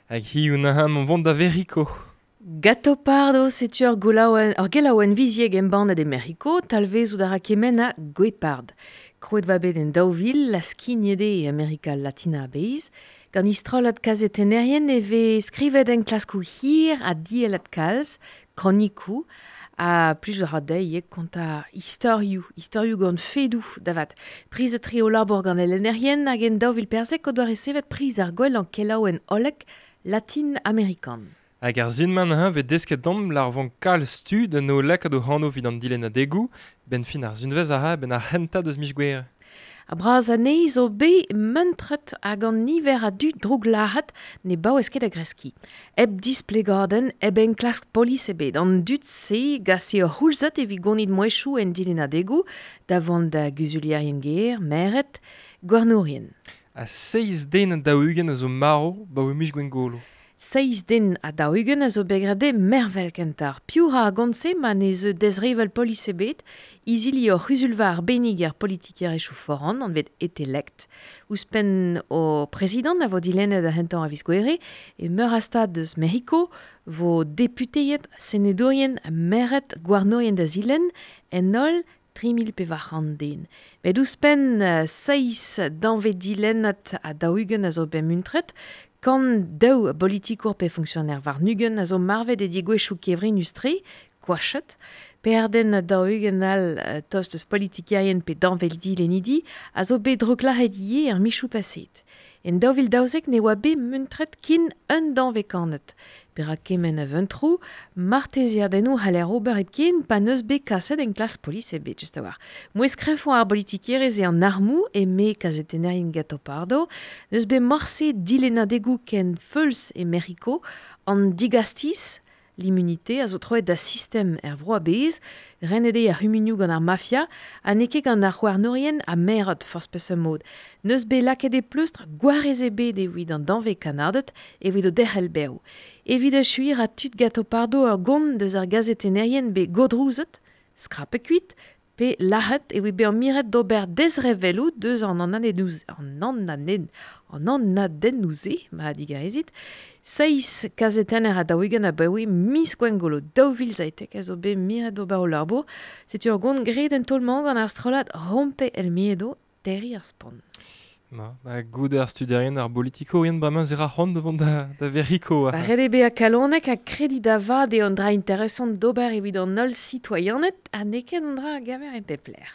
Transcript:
Hag hiziv neuze mont vont da Veriko. Gattopardo, setu ur gelaouenn, ur gelaouenn viziek embannet e Mec'hiko, talvezout a ra kement ha Guepard. Krouet va bet en 2000, la skignet eo e Amerika Latina a-bezh. Gant istrollad kazetennerien e vez skrivet enklaskoù hir ha diellat kalz, kronikoù, ha plij a ra dezhi ivez kontañ istorioù, istorioù gant fedoù da vat. Prizet tre o labour gant e lennerien hag en 2014 o doa resevet priz ar gwellañ kelaouenn hollek latin-amerikan. Hag ar sin-mañ neuze 'vez desket deomp lar 'vont kalz tud en o lakaat o anv evit an dilennadegoù, 'benn fin ar sunvezh a ra 'benn ar c'hentañ deus miz Gouere. Ha bras anezhe zo bet muntret hag an niver a dud drouglac'het ne baouez ket da greskiñ. Hep displegadenn, hep enklask polis ebet. An dud-se gase ur c'houlzad evit gonit mouezhioù en dilennadegoù da vont da guzulierien-gêr, maered, gouarnourien. Ha seizh den ha 40 a zo marv 'baoe miz Gwengolo. Seizh den ha 40 a zo bet graet dezhe mervel kentoc'h. Piv 'ra ar gont-se ma ne zeu dezrevell polis ebet? Izili hor c'huzulva arbennik er politikerezhioù foran, anvet Etelect. Ouzhpenn ho prezidant a vo dilennet ar c'hentañ a viz Gouere, e meur a stad eus Mec'hiko 'vo deputeed, senedourien, maered, gouarnourien da zilenn, en holl 3400 den. Met ouzhpenn seizh danvez dilennad ha 40 a zo bet muntret, 102 bolitikour pe fonksioner warn-ugent a zo marvet e degouezhioù kevrinus-tre, koachet, perden ha 40 all tost eus politikerien pe danvez dilennidi a zo bet drouklac'het ivez er michoù paseet. En 2012 ne oa bet muntret ken un danvez kannad. Perak kement a vuntroù? Martezeadennoù c'haller ober hepken pa n'eus bet kaset enklask polis ebet, just a-walc'h. Mouezh kreñvañ ar bolitikerezh eo an armoù, eme kazetennerien Gattopardo. N'eus bet morse dilennadegoù ken feuls e Mec'hiko. An digastiz, l'immunité, a zo troet da sistem er vro a-bezh. Renet eo ar c'humunioù gant ar mafia ha n'eo ket gant ar c'houarnourien ha merc'hed forzh peseurt mod. N'eus bet lakaet e pleustr gwarez ebet evit an danvez kannaded evit o derc'hel bev. Evit echuiñ 'ra tud Gattopardo ur gont deus ar gazetennerien bet gourdrouzet, skrapet kuit, pe lazhet evit bezañ miret d'ober dezrevelloù deus an an anadennoù-se, ma digarezit. Seizh kazetenner ha 40 abaoe miz Gwengolo 2017 a zo bet miret d'ober o labour. Setu ur gont graet en taol-mañ gant ar strollad Rompe el Miedo, terriñ ar spont. Ma, ba, goude ar studierien, ar bolitikourien, bremañ ze ra c'hoant da vont da, da Veriko. Ba, ret eo bezañ kalonek ha krediñ da vat eo an dra interesant d'ober evit an holl sitoaianed ha n'eo ket an dra a gaver e pep lec'h.